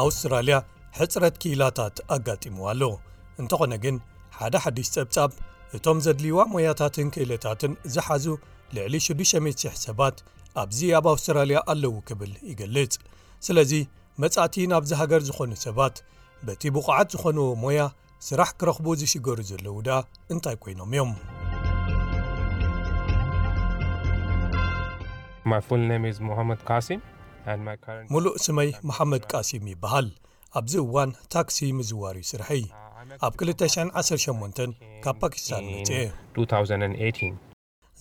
ኣውስትራልያ ሕጽረት ክኢላታት ኣጋጢምዋ ኣሎ። እንተኾነ ግን፣ ሓደ ሓድሽ ጸብጻብ፣ እቶም ዘድልይዋ ሞያታትን ክእለታትን ዝሓዙ ልዕሊ ሽዱሽተ ሚእቲ ሽሕ ሰባት ኣብዚ ኣብ ኣውስትራልያ ኣለዉ ክብል ይገልጽ። ስለዚ፣ መጻእቲ ናብዚ ሃገር ዝኾኑ ሰባት፣ በቲ ብቑዓት ዝኾንዎ ሞያ ስራሕ ክረኽቡ ዝሽገሩ ዘለዉ ደኣ እንታይ ኮይኖም እዮም? My full name is Mohammed Qasim, and my current ሙሉእ ስመይ መሓመድ ቃሲም ይበሃል። ኣብዚ እዋን ታክሲ ምዝዋር እዩ ስርሐይ። ኣብ ክልተ ሽሕን ዓሰርተ ሸሞንተን ካብ ፓኪስታን መጽኤ። two thousand eighteen.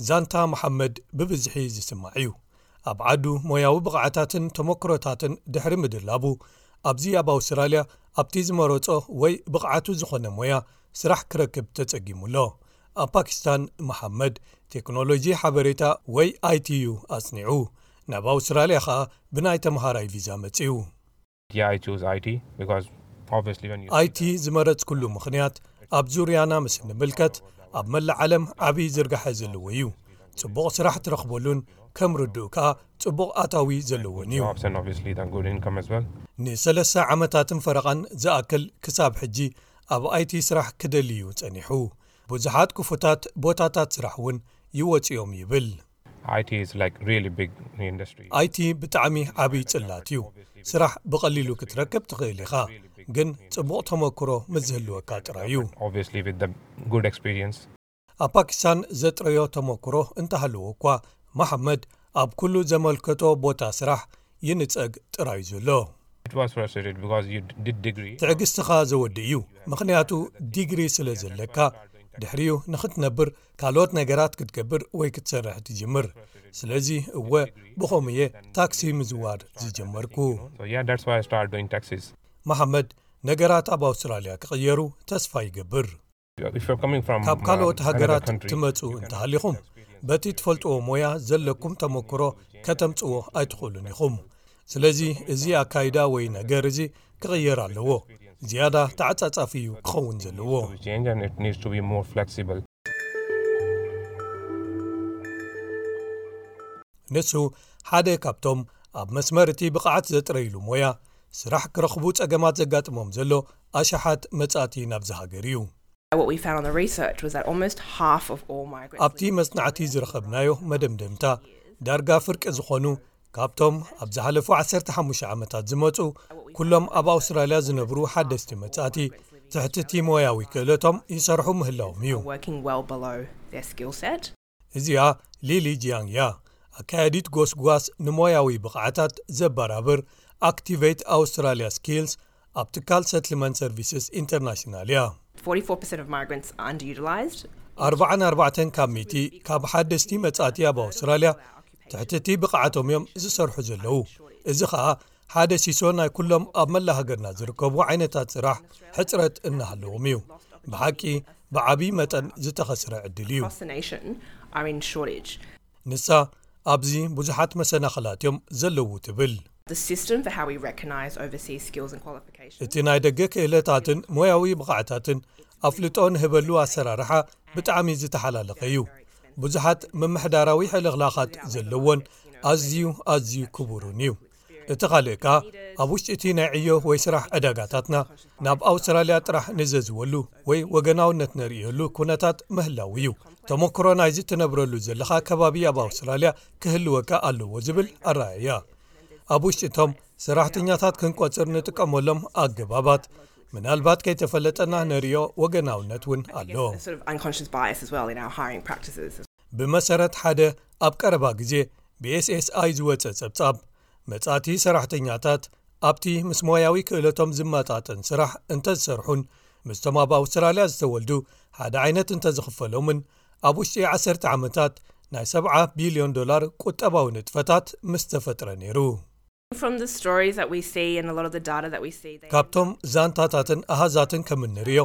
ዛንታ መሓመድ ብብዝሒ ዝስማዕ እዩ። ኣብ ዓዱ ሞያዊ ብቕዓታትን ተመክሮታትን ድሕሪ ምድላቡ፣ ኣብዚ ኣብ ኣውስትራልያ ኣብቲ ዝመረጾ ወይ ብቕዓቱ ዝኾነ ሞያ ስራሕ ክረክብ ተጸጊሙ ኣሎ። ኣብ ፓኪስታን መሓመድ ቴክኖሎጂ ሓበሬታ ወይ ኣይ ቲ እዩ ኣጽኒዑ። ናብ ኣውስትራልያ ኸኣ ብናይ ተምሃራይ ቪዛ መጺኡ። Yeah, I chose I T because obviously when you ኣይ ቲ ዝመረጽኩሉ ምኽንያት ኣብ ዙርያና ምስ ንምልከት ኣብ መላእ ዓለም ዓቢ ዝርጋሐ ዘለዎ እዩ። ጽቡቕ ስራሕ ትረኽበሉን ከም ርዱእ ከኣ ጽቡቕ ኣታዊ ዘለዎን እዩ። Jobs and obviously the good income as well. ንሰለስተ ዓመታትን ፈረቓን ዝኣክል ክሳብ ሕጂ ኣብ ኣይ ቲ ስራሕ ክደሊ እዩ ጸኒሑ። ብዙሓት ክፉታት ቦታታት ስራሕ እውን ይወጽኦም ይብል። I T is like really big industry. ኣይ ቲ ብጣዕሚ ዓብዪ ጽላት እዩ። ስራሕ ብቐሊሉ ክትረክብ ትኽእል ኢኻ፣ ግን ጽቡቕ ተመክሮ ምስ ዝህልወካ ጥራይ እዩ። Obviously with the good experience. ኣብ ፓኪስታን ዘጥረዮ ተመክሮ እንተሃለዎ እኳ፣ መሓመድ ኣብ ኩሉ ዘመልከቶ ቦታ ስራሕ ይንጸግ ጥራይ ዘሎ። It was frustrated because you did degree. ትዕግስትኻ ዘወዲ እዩ፣ ምኽንያቱ ዲግሪ ስለ ዘለካ፣ ድሕሪኡ ንኽትነብር ካልኦት ነገራት ክትገብር ወይ ክትሰርሕ ትጅምር። ስለዚ እወ፣ ብኸምኡ እየ ታክሲ ምዝዋር ዝጀመርኩ። So yeah, that's why I started doing taxis. መሓመድ፣ ነገራት ኣብ ኣውስትራልያ ክቕየሩ ተስፋ ይገብር። If you're coming from ካብ ካልኦት um, ሃገራት another country, ትመጹ you can እንተሃሊኹም፣ experience በቲ ትፈልጥዎ ሞያ ዘለኩም ተመክሮ ከተምጽዎ ኣይትኽእሉን ኢኹም። ስለዚ እዚ ኣካይዳ ወይ ነገር እዚ ክቕየር ኣለዎ። ዝያዳ ተዓጻጻፊ እዩ ክኸውን ዘለዎ። to change and it needs to be more flexible. ንሱ ሓደ ካብቶም ኣብ መስመር እቲ ብቕዓት ዘጥረይሉ ሞያ ስራሕ ክረኽቡ ጸገማት ዘጋጥሞም ዘሎ ኣሽሓት መጻእቲ ናብዚ ሃገር እዩ። What we found on the research was that almost half of all migrants ኣብቲ መጽናዕቲ ዝረኸብናዮ መደምደምታ፣ ዳርጋ ፍርቂ ዝኾኑ ካብቶም ኣብ ዝሓለፉ ዓሰርተ ሓሙሽተ ዓመታት ዝመጹ፣ ኩሎም ኣብ ኣውስትራልያ ዝነብሩ ሓደስቲ መጻእቲ፣ ትሕቲ እቲ ሞያዊ ክእለቶም ይሰርሑ ምህላዎም እዩ። are working well below their skill set. እዚኣ ሊሊ ጂያንግ እያ፣ ኣካያዲት ጎስጓስ ንሞያዊ ብቕዓታት ዘበራብር ኣክቲቬት ኣውስትራልያ ስኪልስ ኣብ ትካል ሰትልመንት ሰርቪስስ ኢንተርናሽናል እያ። Forty-four percent of migrants are underutilised. ኣርባዓን ኣርባዕተን ካብ ሚእቲ ካብ ሓደስቲ መጻእቲ ኣብ ኣውስትራልያ ትሕቲ እቲ ብቕዓቶም እዮም ዝሰርሑ ዘለዉ። እዚ ኸኣ ሓደ ሲሶ ናይ ኩሎም ኣብ መላእ ሃገርና ዝርከቡ ዓይነታት ስራሕ ሕጽረት እናሃለዎም እዩ። ብሓቂ ብዓቢ መጠን ዝተኸስረ ዕድል እዩ። Across the nation are in shortage. ንሳ ኣብዚ ብዙሓት መሰናኽላት እዮም ዘለዉ ትብል። The system for how we recognise overseas skills and qualifications. እቲ ናይ ደገ ክእለታትን ሞያዊ ብቕዓታትን ኣፍልጦ ንህበሉ ኣሰራርሓ ብጣዕሚ ዝተሓላለኸ እዩ። ብዙሓት ምምሕዳራዊ ሕልኽላኻት ዘለዎን ኣዝዩ ኣዝዩ ክቡርን እዩ። እቲ ካልእ ከኣ ኣብ ውሽጢ እቲ ናይ ዕዮ ወይ ስራሕ ዕዳጋታትና ናብ ኣውስትራልያ ጥራሕ ንዘዝወሉ ወይ ወገናውነት ነርእየሉ ኩነታት ምህላው እዩ። ተመክሮ ናይዚ ትነብረሉ ዘለኻ ከባቢ ኣብ ኣውስትራልያ ክህልወካ ኣለዎ ዝብል ኣረኣእያ። ኣብ ውሽጢ እቶም ሰራሕተኛታት ክንቆጽር ንጥቀመሎም ኣገባባት ምናልባት ከይተፈለጠና ነርእዮ ወገናውነት እውን ኣሎ። There's sort of unconscious bias as well in our hiring practices. ብመሰረት ሓደ ኣብ ቀረባ ግዜ ብ ኤስ ኤስ ኣይ ዝወጸ ጸብጻብ፣ መጻእቲ ሰራሕተኛታት ኣብቲ ምስ ሞያዊ ክእለቶም ዝመጣጠን ስራሕ እንተዝሰርሑን ምስቶም ኣብ ኣውስትራልያ ዝተወልዱ ሓደ ዓይነት እንተዝኽፈሎምን፣ ኣብ ውሽጢ ዓሰርተ ዓመታት ናይ ሰብዓ ቢልዮን ዶላር ቁጠባዊ ንጥፈታት ምስ ተፈጥረ ነይሩ። From the stories that we see and a lot of the data that we see, they ካብቶም ዛንታታትን ኣሃዛትን ከም እንርእዮ፣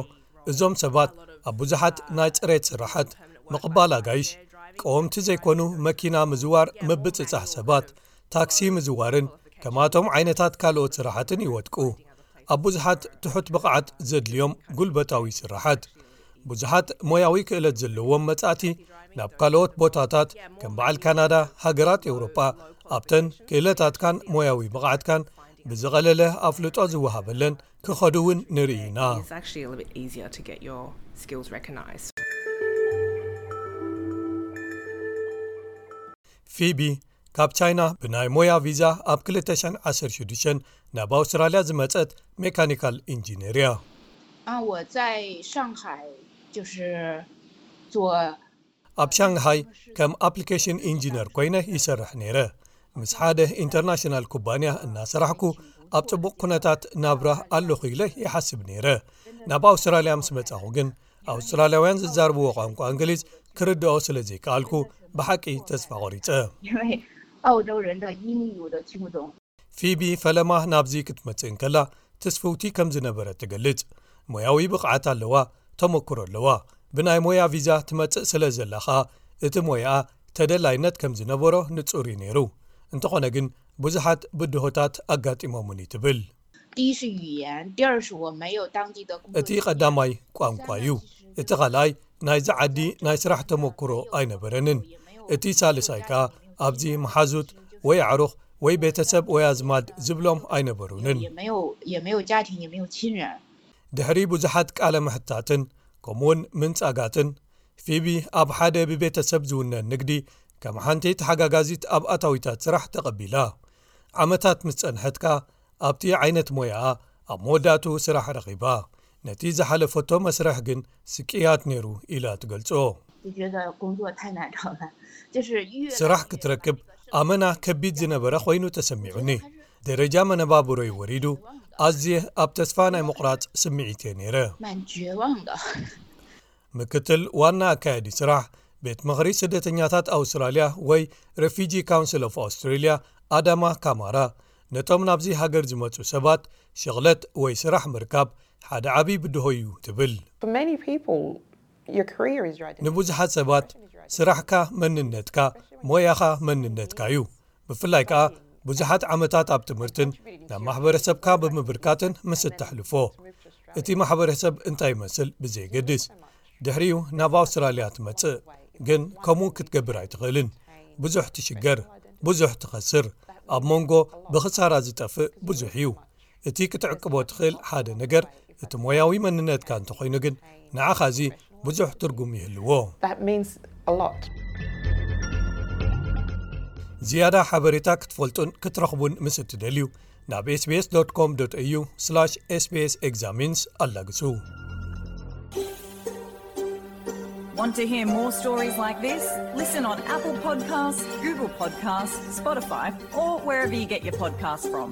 እዞም ሰባት ኣብ ብዙሓት ናይ ጽሬት ስራሓት፣ ምቕባል ኣጋይሽ፣ ቀወምቲ ዘይኮኑ መኪና ምዝዋር፣ ምብጽጻሕ ሰባት፣ ታክሲ ምዝዋርን ከማቶም ዓይነታት ካልኦት ስራሓትን ይወድቁ። ኣብ ብዙሓት ትሑት ብቕዓት ዘድልዮም ጉልበታዊ ስራሓት። ብዙሓት ሞያዊ ክእለት ዘለዎም መጻእቲ ናብ ካልኦት ቦታታት ከም በዓል ካናዳ፣ ሃገራት ኤውሮጳ፣ ኣብተን ክእለታትካን ሞያዊ ብቕዓትካን ብዝቐለለ ኣፍልጦ ዝወሃበለን ክኸዱ እውን ንርኢ ኢና። It's actually a little bit easier to get your skills recognized. ፊቢ ካብ ቻይና ብናይ ሞያ ቪዛ ኣብ ክልተ ሽሕን ዓሰርተ ሽዱሽተን ናብ ኣውስትራልያ ዝመጸት ሜካኒካል ኢንጂነር እያ። 啊，我在上海就是做 ኣብ ሻንግሃይ ከም ኣፕሊኬሽን ኢንጂነር ኮይነ ይሰርሕ ነይረ። ምስ ሓደ ኢንተርናሽናል ኩባንያ እናሰራሕኩ ኣብ ጽቡቕ ኩነታት ናብራ ኣለኹ ኢለ ይሓስብ ነይረ። ናብ ኣውስትራልያ ምስ መጻኹ ግን ኣውስትራልያውያን ዝዛርብዎ ቋንቋ እንግሊዝ ክርድኦ ስለ ዘይከኣልኩ ብሓቂ ተስፋ ቆሪጸ። 因为澳洲人的英语我都听不懂。 ፊቢ ፈለማ ናብዚ ክትመጽእ እንከላ ትስፍውቲ ከም ዝነበረት ትገልጽ። ሞያዊ ብቕዓት ኣለዋ፣ ተመክሮ ኣለዋ። ብናይ ሞያ ቪዛ ትመጽእ ስለ ዘላ ኸኣ እቲ ሞያኣ ተደላይነት ከም ዝነበሮ ንጹር እዩ ነይሩ። እንተኾነ ግን ብዙሓት ብድሆታት ኣጋጢሞምኒ ትብል። 第一是语言，第二是我没有当地的工作 እቲ ቀዳማይ ቋንቋ እዩ። እቲ ካልኣይ ናይዚ ዓዲ ናይ ስራሕ ተመክሮ ኣይነበረንን። እቲ ሳልሳይ ከኣ ኣብዚ መሓዙት ወይ ኣዕሩኽ ወይ ቤተሰብ ወይ ኣዝማድ ዝብሎም ኣይነበሩንን። 也没有也没有家庭，也没有亲人。 ድሕሪ ብዙሓት ቃለ ምሕታትን ከምኡውን ምንጻጋትን ፊቢ ኣብ ሓደ ብቤተሰብ ዝውነን ንግዲ ከም ሓንቲ ተሓጋጋዚት ኣብ ኣታዊታት ስራሕ ተቐቢላ። ዓመታት ምስ ጸንሐት ከኣ ኣብቲ ዓይነት ሞያኣ ኣብ መወዳእቱ ስራሕ ረኺባ። ነቲ ዝሓለፈቶ መስርሕ ግን ስቅያት ነይሩ ኢላ ትገልጾ። 就觉得工作太难找了，就是越来 ስራሕ ክትረክብ ኣመና ከቢድ ዝነበረ ኮይኑ ተሰሚዑኒ። ደረጃ መነባብሮይ ወሪዱ፣ ኣዝየ ኣብ ተስፋ ናይ ምቑራጽ ስምዒት እየ ነይረ። 蛮绝望的。 ምክትል ዋና ኣካያዲ ስራሕ ቤት ምኽሪ ስደተኛታት ኣውስትራልያ ወይ Refugee Council of Australia ኣዳማ ካማራ ነቶም ናብዚ ሃገር ዝመጹ ሰባት ሽቕለት ወይ ስራሕ ምርካብ ሓደ ዓቢ ብድሆ እዩ ትብል። For many people, your career is your identity. ንብዙሓት ሰባት ስራሕካ መንነትካ፣ ሞያኻ መንነትካ እዩ። ብፍላይ ከኣ ብዙሓት ዓመታት ኣብ ትምህርትን ናብ ማሕበረሰብካ ብምብርካትን ምስ እተሕልፎ፣ እቲ ማሕበረሰብ እንታይ ይመስል ብዘየገድስ። ድሕሪኡ ናብ ኣውስትራልያ ትመጽእ፣ ግን ከምኡ ክትገብር ኣይትኽእልን። ብዙሕ ትሽገር፣ ብዙሕ ትኸስር። ኣብ መንጎ ብኽሳራ ዝጠፍእ ብዙሕ እዩ። እቲ ክትዕቅቦ ትኽእል ሓደ ነገር እቲ ሞያዊ መንነትካ እንተኾይኑ ግን ንዓኻ እዚ ብዙሕ ትርጉም ይህልዎ። That means a lot. ዝያዳ ሓበሬታ ክትፈልጡን ክትረኽቡን ምስ እትደልዩ ናብ ኤስቢኤስ ዶት ኮም ዶት ኤዩ ስላሽ ኤስቢኤስ ኤግዛሚንስ ኣላግሱ። Want to hear more stories like this? Listen on Apple Podcasts, Google Podcasts, Spotify, or wherever you get your podcasts from.